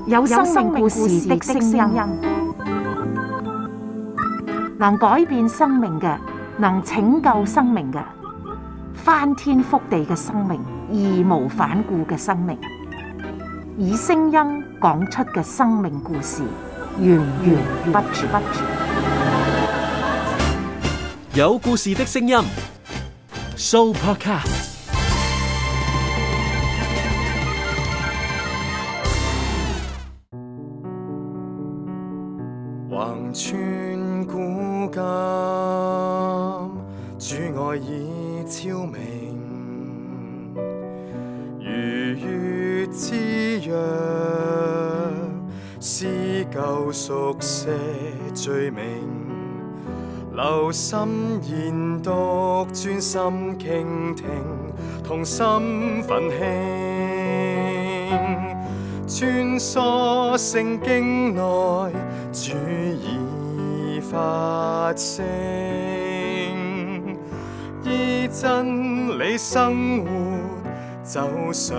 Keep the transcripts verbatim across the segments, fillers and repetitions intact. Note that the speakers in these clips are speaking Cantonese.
有生命故事的聲音，能改變生命嘅，能拯救生命嘅，翻天覆地嘅生命，義無反顧嘅生命，以聲音講出嘅生命故事，源源不絕。有故事的聲音 ，Sooopodcast。橫穿古今，主愛已超明，如月之約，撕舊熟寫罪名，留心研讀，專心傾聽，同心奮興，穿梭聖經內，主已發聲，依真理生活，走上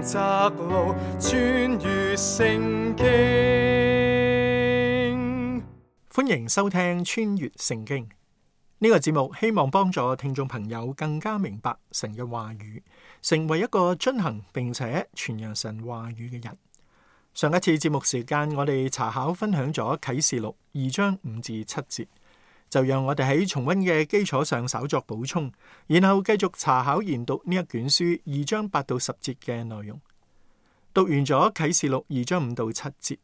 窄路，穿越聖經。歡迎收聽穿越聖經呢個節目，希望幫助聽眾朋友更加明白神嘅話語，成為一個遵行並且傳揚神話語嘅人。上一次節目時間，我哋查考分享咗啟示錄二章五至七節，就讓我哋喺重溫嘅基礎上稍作補充，然後繼續查考研讀呢一卷書二章八到十節嘅內容。讀完咗啟示錄二章五到七節，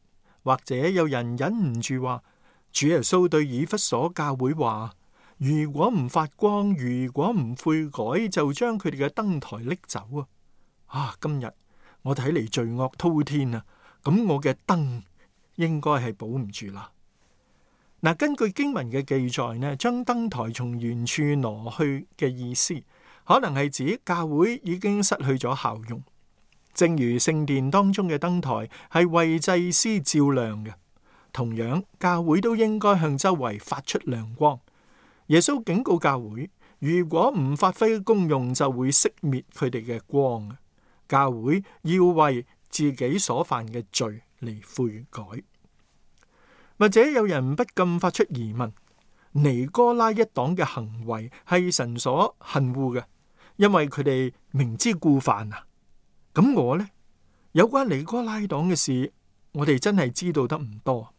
或者有人忍唔住話，主耶穌對以弗所教會話，如果唔發光，如果唔悔改，就將佢哋嘅燈台拎走啊！啊，今日我睇嚟罪惡滔天啊！咁我嘅燈應該係保唔住啦。嗱，根據經文嘅記載呢，將燈台從原處挪去嘅意思，可能係指教會已經失去咗效用。正如聖殿當中嘅燈台係為祭司照亮嘅，同樣教會都應該向周圍發出亮光。耶穌警告教會，如果唔發揮功用，就會熄滅佢哋嘅光。教會要為自己所犯嘅罪嚟悔改。或者有人不禁發出疑問，尼哥拉一黨嘅行為係神所恨惡嘅，因為佢哋明知故犯啊。咁我呢？有關尼哥拉黨嘅事，我哋真係知道得唔多。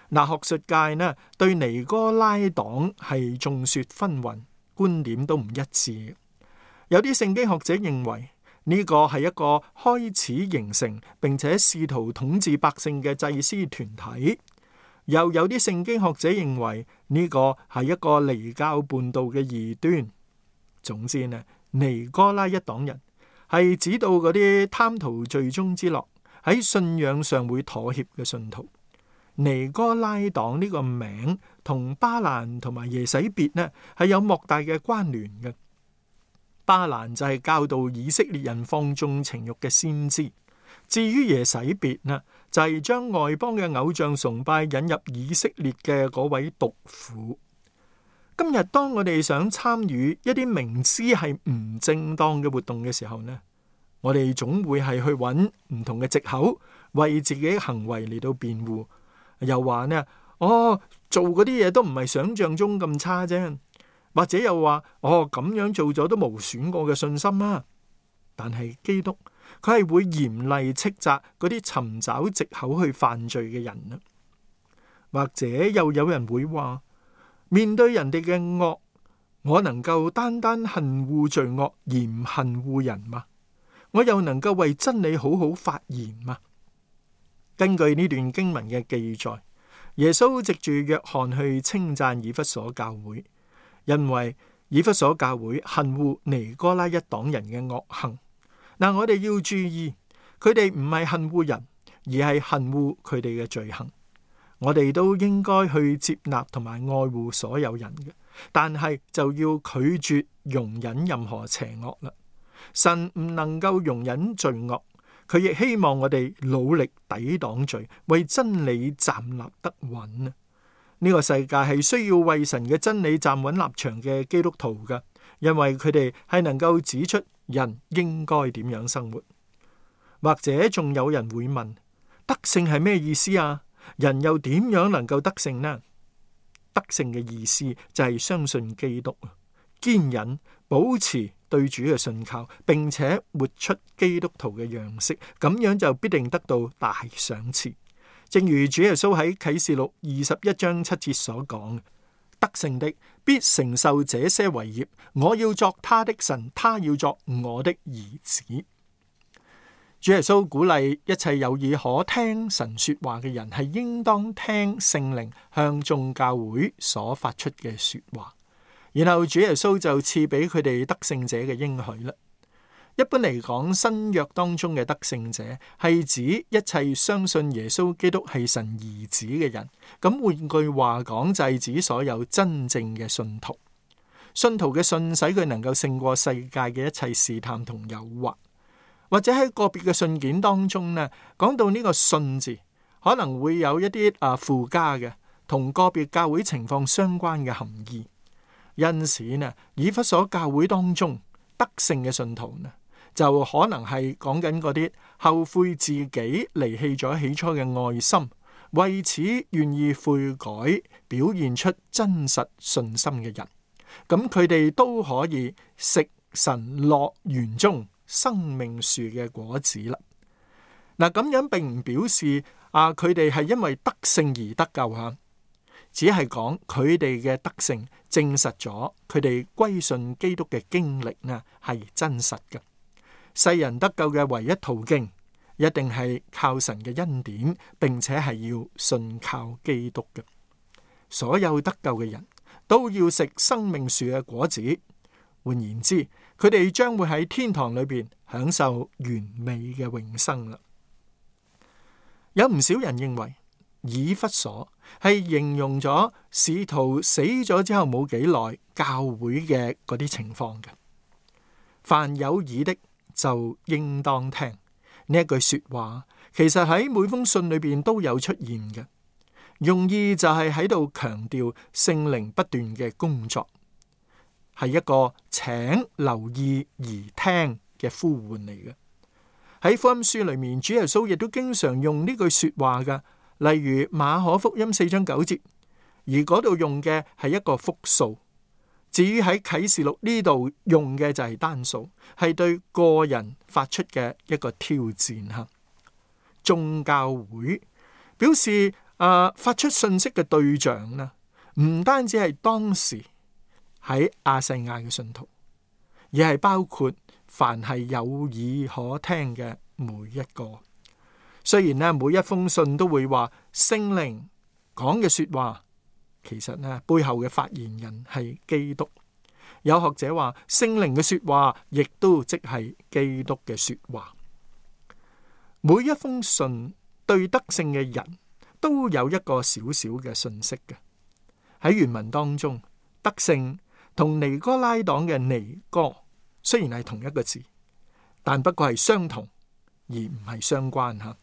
嗱，學術界呢對尼哥拉黨係眾說紛紜，觀點都唔一致。有啲聖經學者認為呢個係一個開始形成並且試圖統治百姓嘅祭司團體，又有啲聖經學者認為呢個係一個離教叛道嘅異端。總之呢，尼哥拉一黨人係指到嗰啲貪圖罪中之樂，喺信仰上會妥協嘅信徒。尼哥拉黨呢個名同巴蘭同埋耶洗別呢係有莫大嘅關聯嘅。巴蘭就係教導以色列人放縱情慾嘅先知，至於耶洗別呢，就係將外邦嘅偶像崇拜引入以色列嘅嗰位毒婦。今日當我哋想參與一啲明知係唔正當嘅活動嘅時候呢，我哋總會係去揾唔同嘅藉口，為自己嘅行為嚟到辯護，又話呢，哦，做嗰啲嘢都唔係想象中咁差啫。或者又話，哦，咁樣做咗都無損我嘅信心啊！但係基督佢係會嚴厲斥責嗰啲尋找藉口去犯罪嘅人啊！或者又有人會話，面對人哋嘅惡，我能夠單單恨惡罪惡而唔恨惡人嗎？我又能夠為真理好好發言嗎？根據呢段經文嘅記載，耶穌藉住約翰去稱讚以弗所教會。因為以弗所教會恨惡尼哥拉一黨人嘅惡行，嗱，我哋要注意，佢哋唔係恨惡人，而係恨惡佢哋嘅罪行。我哋都應該去接納同埋愛護所有人嘅，但係就要拒絕容忍任何邪惡啦。神唔能夠容忍罪惡，佢亦希望我哋努力抵擋罪，為真理站立得穩啊！呢個世界係需要為神嘅真理站穩立場嘅基督徒㗎，因為佢哋係能夠指出人應該點樣生活。或者仲有人會問，得勝係咩意思啊？人又點樣能夠得勝呢？得勝嘅意思就係相信基督，堅忍保持對主嘅信靠，並且活出基督徒嘅樣式，咁樣就必定得到大賞賜。正如主耶穌喺啟示錄二十一章七節所講，得勝的必承受這些為業，我要作他的神，他要作我的兒子。主耶穌鼓勵一切有耳可聽神說話嘅人，係應當聽聖靈向眾教會所發出嘅說話。然後主耶穌就賜俾佢哋得勝者嘅應許啦。一般嚟講，新約當中嘅得勝者係指一切相信耶穌基督係神兒子嘅人。咁換句話講，就係指所有真正嘅信徒。信徒嘅信使佢能夠勝過世界嘅一切試探同誘惑。或者喺個別嘅信件當中呢，講到呢個信字，可能會有一啲啊附加嘅同個別教會情況相關嘅含義。因此呢，以弗所教會當中得勝嘅信徒呢，就可能係講緊嗰啲後悔自己離棄咗起初嘅愛心，為此願意悔改，表現出真實信心嘅人。咁佢哋都可以食神樂園中生命樹嘅果子啦。嗱，咁樣並唔表示啊，佢哋係因為得勝而得救吓，只係講佢哋嘅得勝證實咗佢哋歸信基督嘅經歷呢係真實嘅。世人得救嘅唯一途徑，一定係靠神嘅恩典，並且係要信靠基督嘅。所有得救嘅人都要食生命樹嘅果子。換言之，佢哋將會喺天堂裏邊享受完美嘅永生啦。有唔少人認為以弗所係形容咗使徒死咗之後冇幾耐教會嘅嗰啲情況嘅。凡有耳的就應當聽，呢一句說話，其實喺每封信裏邊都有出現嘅，用意就係喺度強調聖靈不斷嘅工作，係一個請留意而聽嘅呼喚嚟嘅。喺福音書裏面，主耶穌亦都經常用呢句說話嘅，例如馬可福音四章九節，而嗰度用嘅係一個複數。至於喺啟示錄呢度用嘅就係單數，係對個人發出嘅一個挑戰吓。眾教會表示啊、呃，發出信息嘅對象呢，唔單止係當時喺亞細亞嘅信徒，而係包括凡係有耳可聽嘅每一個。雖然呢，每一封信都會話聖靈講嘅說話，其實呢，背後嘅發言人係基督。有學者話聖靈嘅說話亦都即係基督嘅說話。每一封信對得勝嘅人都有一個小小嘅信息嘅。喺原文當中，得勝同尼哥拉黨嘅尼哥雖然係同一個字，但不過係相同而唔係相關吓。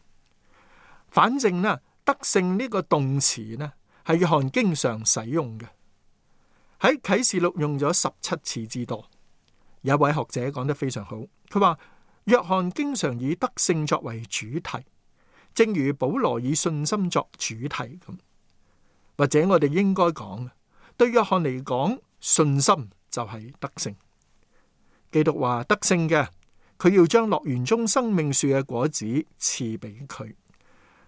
反正呢，得勝呢個動詞呢係約翰經常使用嘅，喺啟示錄用咗十七次之多。有位學者講得非常好，佢話約翰經常以得勝作為主題，正如保羅以信心作主題咁。或者我哋應該講，對約翰嚟講，信心就係得勝。基督話得勝嘅，佢要將樂園中生命樹嘅果子賜俾佢。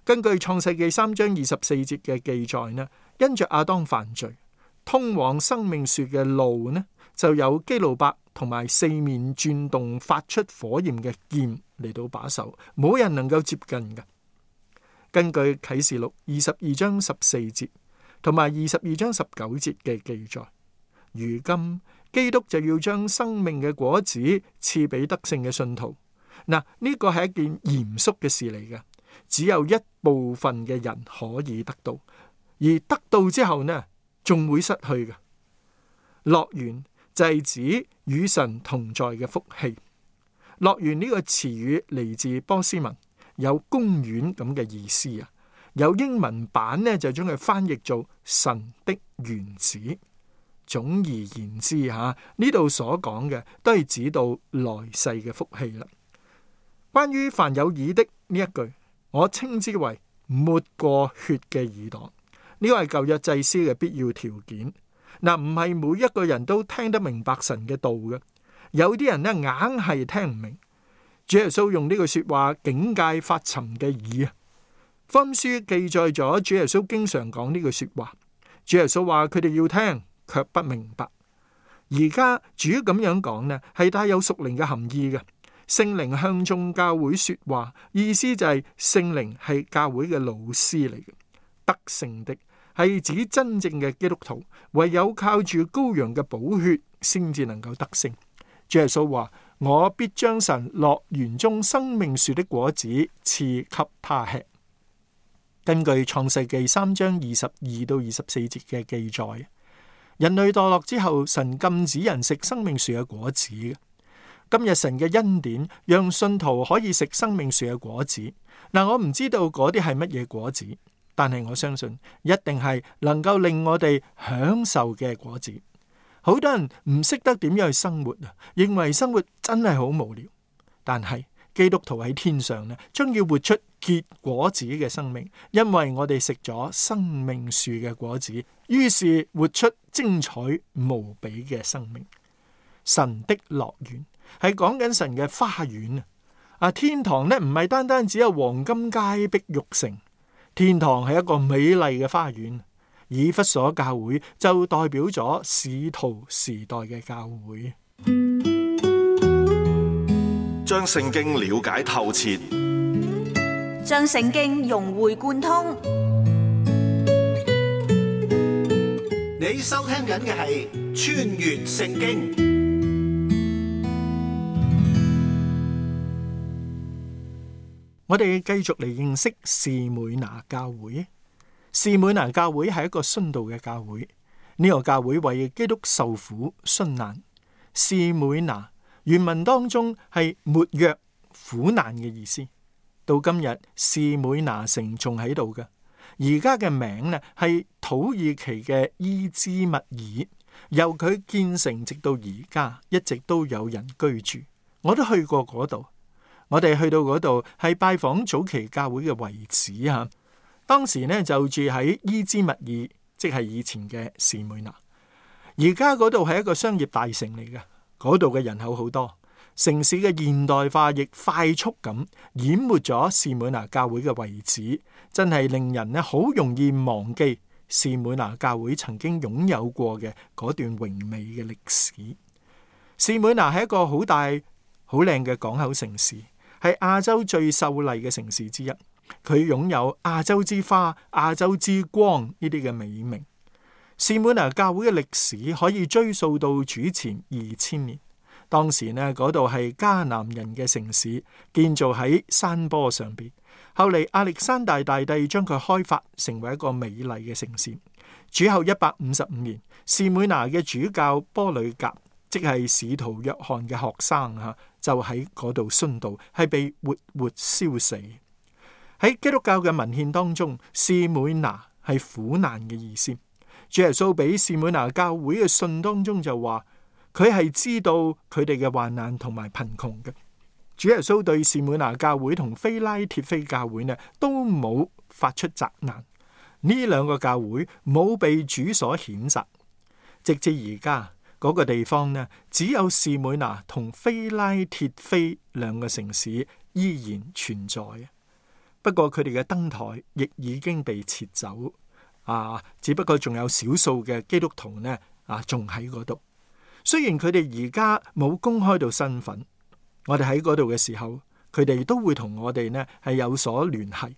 根據創世記三章二十四節嘅記載呢，因着亞當犯罪，通往生命樹嘅路呢，就有基路伯同埋四面轉動發出火焰嘅劍嚟到把守，冇人能夠接近嘅。根據啟示錄二十二章十四節同埋二十二章十九節嘅記載，如今基督就要將生命嘅果子賜俾得勝嘅信徒。嗱，呢個係一件嚴肅嘅事嚟嘅。只有一部分嘅人可以得到，而得到之後呢，仲會失去嘅。樂園就係指與神同在嘅福氣。樂園呢個詞語嚟自波斯文，有公園咁嘅意思啊。有英文版呢，就將佢翻譯做神的園子。總而言之吓，呢度所講嘅都係指到來世嘅福氣啦。關於凡有耳的呢一句，我稱之為抹過血嘅耳朵，呢個係舊約祭司嘅必要條件。嗱，唔係每一個人都聽得明白神嘅道嘅，有啲人呢硬係聽唔明。主耶穌用呢句說話警戒發沉嘅耳啊。福音書記載咗主耶穌經常講呢句說話。主耶穌話佢哋要聽，卻不明白。而家主咁樣講呢，係帶有屬靈嘅含義嘅。聖靈向眾教會說話，意思就係聖靈係教會嘅老師嚟嘅。得勝的係指真正嘅基督徒，唯有靠住羔羊嘅寶血，先至能夠得勝。主耶穌話：我必將神樂園中生命樹的果子賜給他吃。根據創世記三章二十二到二十四節嘅記載，人類墮落之後，神禁止人食生命樹嘅果子。今日神嘅恩典讓信徒可以食生命樹嘅果子。嗱，我唔知道嗰啲係乜嘢果子，但係我相信一定係能夠令我哋享受嘅果子。好多人唔識得點樣去生活啊，認為生活真係好無聊。但係基督徒喺天上呢，將要活出結果子嘅生命，因為我哋食咗生命樹嘅果子，於是活出精彩無比嘅生命。神的樂園係講緊神嘅花園啊！啊，天堂呢唔係單單只有黃金街碧玉城，天堂係一個美麗嘅花園。以弗所教會就代表咗使徒時代嘅教會。將聖經了解透徹，將聖經融會貫通。你收聽緊嘅係穿越聖經。我哋繼續嚟認識士每拿教會。士每拿教會係一個殉道嘅教會，呢、這個教會為基督受苦殉難。士每拿原文當中係沒藥苦難嘅意思。到今日士每拿城仲喺度嘅，而家嘅名呢係土耳其嘅伊茲密爾，由佢建成直到而家一直都有人居住。我都去過嗰度，我哋去到嗰度係拜訪早期教會嘅遺址吓。當時呢就住喺伊茲密爾，即係以前嘅士每拿。而家嗰度係一個商業大城嚟嘅，嗰度嘅人口好多，城市嘅現代化亦快速咁淹沒咗士每拿教會嘅遺址，真係令人呢好容易忘記士每拿教會曾經擁有過嘅嗰段榮美嘅歷史。士每拿係一個好大好靚嘅港口城市，係亞洲最秀麗嘅城市之一。佢擁有亞洲之花、亞洲之光呢啲嘅美名。士每拿教會嘅歷史可以追溯到主前二千年。當時呢，嗰度係迦南人嘅城市，建造喺山坡上邊。後嚟亞歷山大大帝將佢開發成為一個美麗嘅城市。主後一百五十五年，士每拿嘅主教波呂甲，即係使徒約翰嘅學生吓，就喺嗰度殉道，係被活活燒死。喺基督教嘅文獻當中，士每拿係苦難嘅意思。主耶穌俾士每拿教會嘅信當中就話，佢係知道佢哋嘅患難同埋貧窮嘅。主耶穌對士每拿教會同非拉鐵非教會呢，都冇發出責難。呢兩個教會冇被主所譴責，直至而家嗰個地方呢，只有士每拿同非拉鐵非兩個城市依然存在。不過佢哋嘅燈台亦已經被撤走，啊，只不過仲有少數嘅基督徒呢，啊，仲喺嗰度。雖然佢哋而家冇公開到身份，我哋喺嗰度嘅時候，佢哋都會同我哋呢係有所聯繫，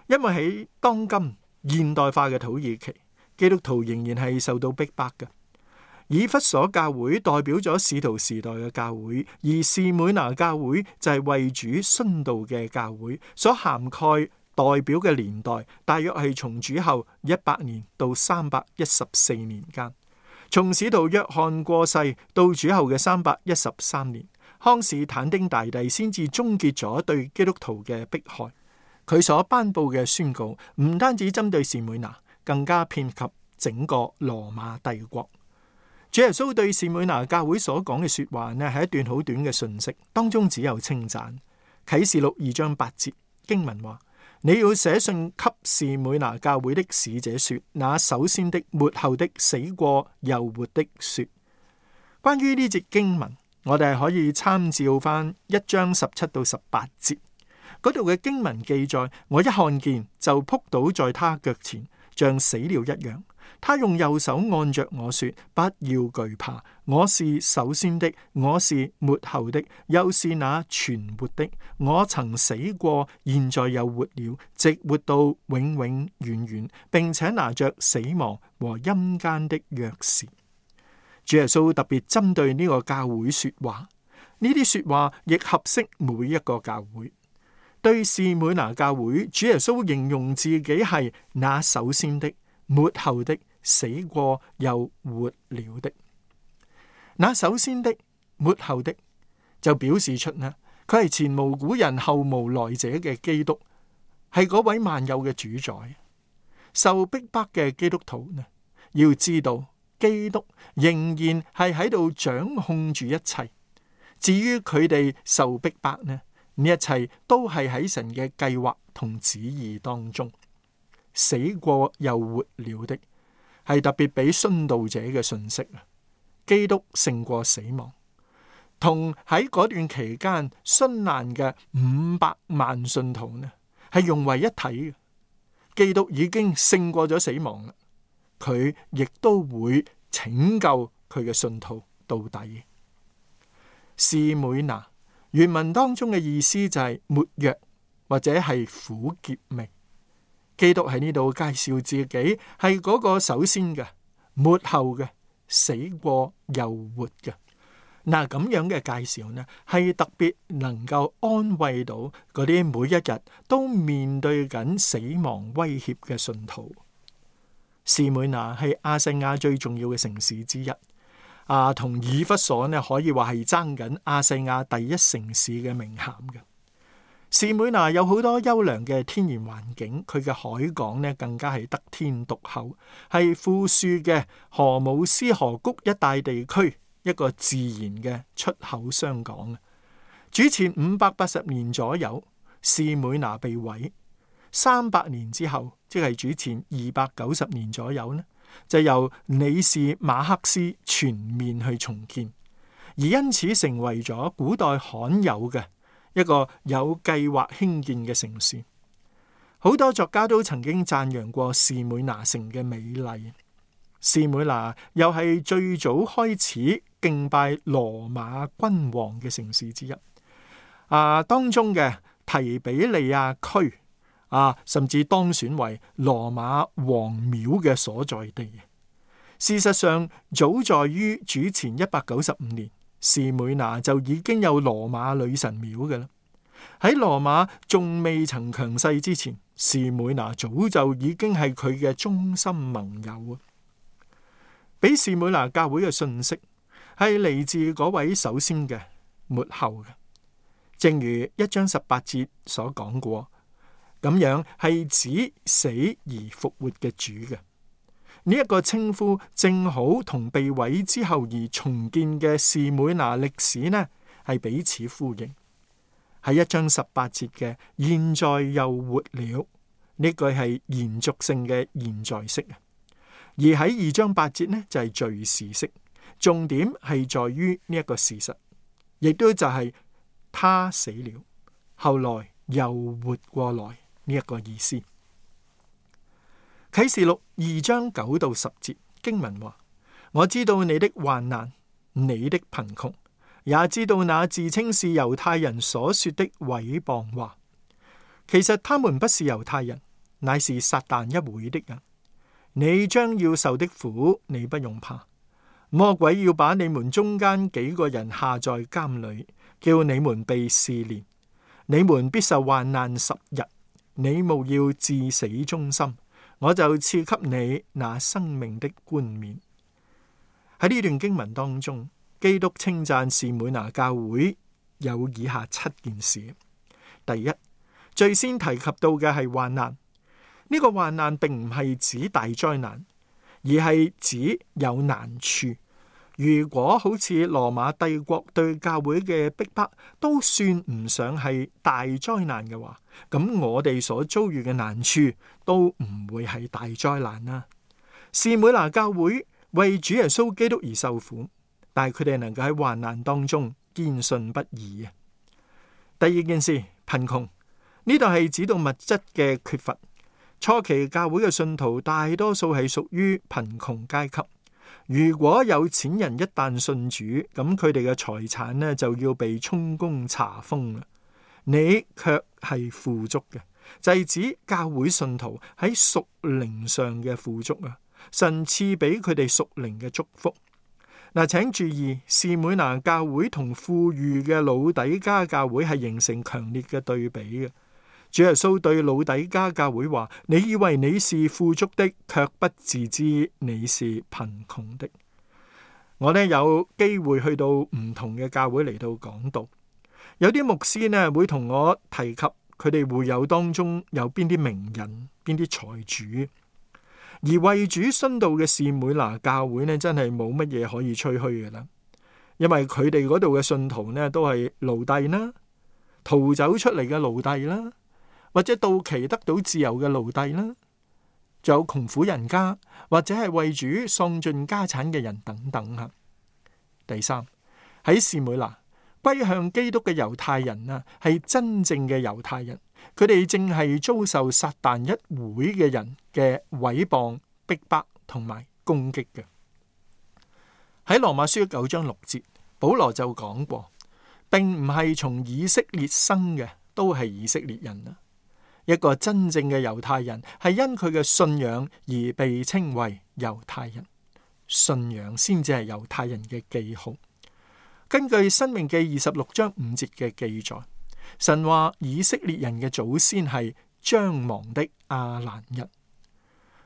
因為喺當今現代化嘅土耳其，基督徒仍然係受到逼迫嘅。以弗所教會代表咗使徒時代嘅教會，而士每拿教會就係為主殉道嘅教會，所涵蓋代表嘅年代大約係從主後一百年到三百一十四年間。從使徒約翰過世到主後嘅三百一十三年，康士坦丁大帝先至終結咗對基督徒嘅迫害。佢所頒布嘅宣告唔單止針對士每拿，更加遍及整個羅馬帝國。主耶穌對士每拿教會所講嘅說話呢，係一段好短嘅信息，當中只有稱讚。啟示錄二章八節經文話：你要寫信給士每拿教會的使者說，那首先的、末後的、死過又活的說。關於呢節經文，我哋係可以參照翻一章十七到十八節嗰度嘅經文記載，我一看見就撲倒在他腳前，像死了一樣。他用右手按着我說：不要懼怕，我是首先的，我是末後的，又是那存活的。我曾死過，現在又活了，直活到永永遠遠，並且拿着死亡和陰間的鑰匙。主耶穌特別針對呢個教會說話，呢啲說話亦合適每一個教會。對士每拿教會，主耶穌形容自己係那首先的、末後的、死過又活了的。那首先的、末後的，就表示出呢，佢係前無古人後無來者嘅基督，係嗰位萬有嘅主宰。受逼迫嘅基督徒呢，要知道基督仍然係喺度掌控住一切。至於佢哋受逼迫呢，呢一切都係喺神嘅計劃同旨意當中。死過又活了的，係特別俾殉道者嘅信息啊！基督勝過死亡，同喺嗰段期間殉難嘅五百萬信徒呢，係融為一體嘅。基督已經勝過咗死亡啦，佢亦都會拯救佢嘅信徒到底。士每拿原文當中嘅意思就係沒藥或者係苦澀味。基督喺呢度介紹自己係嗰個首先嘅、末後嘅、死過又活嘅。嗱，咁樣嘅介紹呢，係特別能夠安慰到嗰啲每一日都面對緊死亡威脅嘅信徒。士每拿係亞細亞最重要嘅城市之一，啊，同以弗所呢可以話係爭緊亞細亞第一城市嘅名銜嘅。士每拿有好多優良嘅天然環境，佢嘅海港呢更加係得天獨厚，係富庶嘅荷姆斯河谷一帶地區一個自然嘅出口商港。主前五百八十年左右，士每拿被毀，三百年之後，即係主前二百九十年左右呢，就由里士馬克斯全面去重建，而因此成為咗古代罕有嘅一個有計劃興建嘅城市。好多作家都曾經讚揚過士每拿城嘅美麗。士每拿又係最早開始敬拜羅馬君王嘅城市之一。啊，當中嘅提比利亞區啊，甚至當選為羅馬王廟嘅所在地。事實上，早在於主前一百九十五年，士每拿就已經有羅馬女神廟嘅啦。喺羅馬仲未曾強勢之前，士每拿早就已經係佢嘅忠心盟友啊！俾士每拿教會嘅信息係嚟自嗰位首先嘅、末後嘅，正如一章十八節所講過，咁樣係指死而復活嘅主嘅。呢一個稱呼正好同被毀之後而重建嘅士每拿歷史呢，係彼此呼應。喺一章十八節嘅現在又活了，呢句係延續性嘅現在式啊。而喺二章八節呢，就係敘事式，重點係在於呢一個事實，亦都就係他死了，後來又活過來呢一個意思。啟示錄二章九到十節經文話：我知道你的患難，你的貧窮，也知道那自稱是猶太人所說的毀謗話。其實他們不是猶太人，乃是撒旦一會的人。你將要受的苦，你不用怕。魔鬼要把你們中間幾個人下在監裏，叫你們被試煉。你們必受患難十日。你務要至死忠心，我就賜給你那生命的冠冕。喺呢段經文當中，基督稱讚士每拿教會有以下七件事。第一，最先提及到嘅係患難。呢個患難並唔係指大災難，而係指有難處，如果好似羅馬帝國對教會嘅逼迫都算唔上係大災難嘅話，咁我哋所遭遇嘅難處都唔會係大災難啦。士每拿教會為主耶穌基督而受苦，但係佢哋能夠喺患難當中堅信不疑啊。第二件事，貧窮，呢度係指到物質嘅缺乏。初期教會嘅信徒大多數係屬於貧窮階級。如果有錢人一旦信主，咁佢哋嘅財產呢就要被充公查封啦。你卻係富足嘅，就係指教會信徒喺屬靈上嘅富足啊！神賜俾佢哋屬靈嘅祝福。嗱，請注意，士每拿教會同富裕嘅老底嘉教會係形成強烈嘅對比嘅。主耶穌對老底嘉教會話：你以為你是富足的，卻不自知你是貧窮的。我呢有機會去到唔同嘅教會嚟到講道，有啲牧師呢會同我提及佢哋會友當中有邊啲名人、邊啲財主，而為主殉道嘅士每拿教會呢，真係冇乜嘢可以吹噓嘅啦，因為佢哋嗰度嘅信徒呢都係奴隸啦，逃走出嚟嘅奴隸啦，或者到期得到自由嘅奴隸啦，仲有窮苦人家，或者係為主喪盡家產嘅人等等吓。第三，喺士每拿歸向基督嘅猶太人啊，係真正嘅猶太人，佢哋正係遭受撒旦一會嘅人嘅毀謗、逼迫同埋攻擊嘅。喺羅馬書九章六節，保羅就講過，並唔係從以色列生嘅都係以色列人啊。一個真正嘅猶太人係因佢嘅信仰而被稱為猶太人，信仰先至係猶太人嘅記號。根據申命記二十六章五節嘅記載，神話以色列人嘅祖先係將亡的亞蘭人。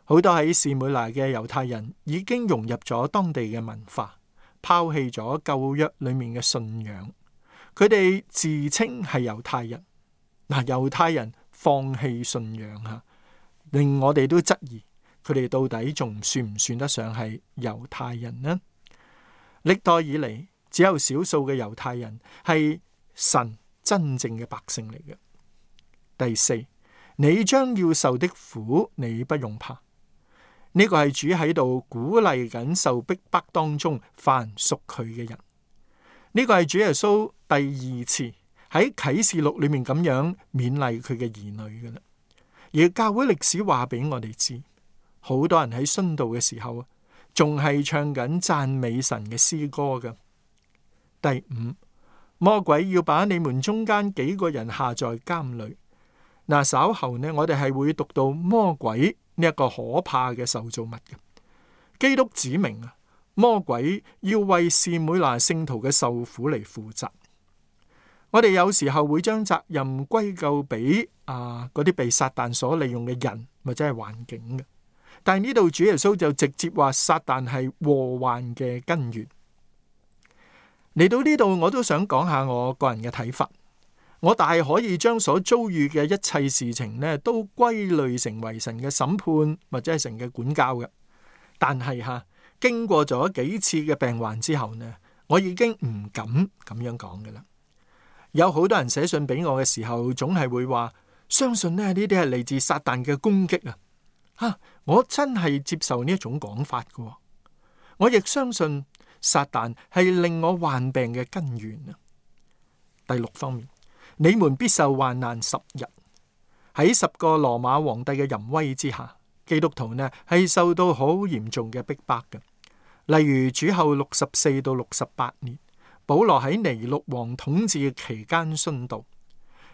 好多喺士每拿嘅猶太人已經融入咗當地嘅文化，拋棄咗舊約裏面嘅信仰，佢哋自稱係猶太人。嗱，猶太人放棄信仰吓，令我哋都質疑佢哋到底仲算唔算得上係猶太人呢？歷代以嚟，只有少數嘅猶太人係神真正嘅百姓嚟嘅。第四，你將要受的苦，你不用怕。呢個係主喺度鼓勵緊受逼迫當中凡屬佢嘅人。呢個係主耶穌第二次喺啟示錄裏面咁樣勉勵佢嘅兒女嘅啦。而教會歷史話俾我哋知，好多人喺殉道嘅時候仲係唱緊讚美神嘅詩歌嘅。第五，魔鬼要把你們中間幾個人下在監裏。嗱，稍後呢，我哋係會讀到魔鬼呢一個可怕嘅受造物嘅。基督指明啊，魔鬼要為士每拿聖徒嘅受苦嚟負責。我哋有時候會將責任歸咎俾啊嗰啲被撒旦所利用嘅人或者係環境嘅，但係呢度主耶穌就直接話撒旦係禍患嘅根源。嚟到呢度，我都想講下我個人嘅睇法。我大可以將所遭遇嘅一切事情呢，都歸類成為神嘅審判或者係神嘅管教嘅。但係吓，經過咗幾次嘅病患之後呢，我已經唔敢咁樣講嘅啦。有好多人寫信俾我嘅時候，總係會話相信呢呢啲係嚟自撒旦嘅攻擊啊！吓，我真係接受呢一種講法嘅。我亦相信撒旦係令我患病嘅根源啊。第六方面，你們必受患難十日。喺十個羅馬皇帝嘅淫威之下，基督徒呢係受到好嚴重嘅逼迫嘅。例如主後六十四到六十八年，保羅喺尼祿王統治期間殉道。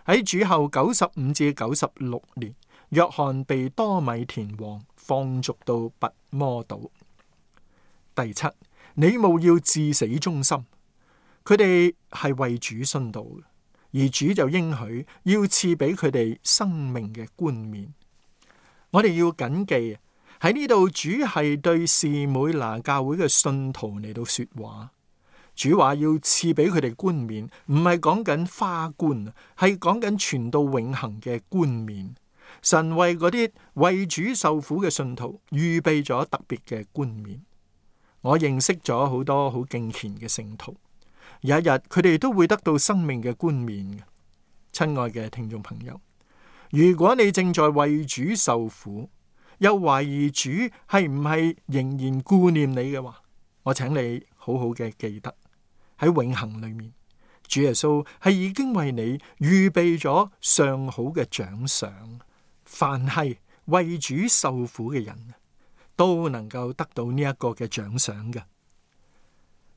喺主後九十五至九十六年，約翰被多米田王放逐到拔摩島。第七，你務要至死忠心。佢哋係為主殉道，而主就應許要賜俾佢哋生命嘅冠冕。我哋要謹記喺呢度，主係對士每拿教會嘅信徒嚟到說話。主話要賜俾佢哋冠冕，唔係講緊花冠，係講緊傳到永恆嘅冠冕。神為嗰啲為主受苦嘅信徒預備咗特別嘅冠冕。我認識咗好多好敬虔嘅聖徒，有一日佢哋都會得到生命嘅冠冕嘅。親愛嘅聽眾朋友，如果你正在為主受苦，又懷疑主係唔係仍然顧念你嘅話，我請你好好嘅記得，喺永恆裏面，主耶穌係已經為你預備咗上好嘅獎賞。凡係為主受苦嘅人，都能夠得到呢一個嘅獎賞嘅。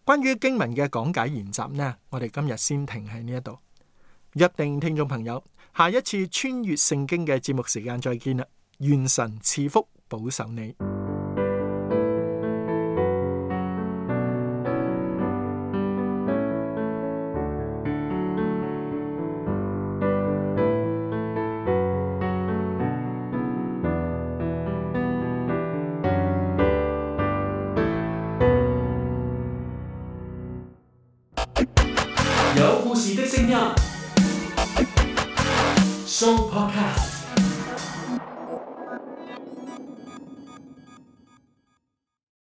關於經文嘅講解研習呢，我哋今日先停喺呢一度。約定聽眾朋友，下一次穿越聖經嘅節目時間再見啦！願神賜福保守你。有故事的聲音，Show Podcast。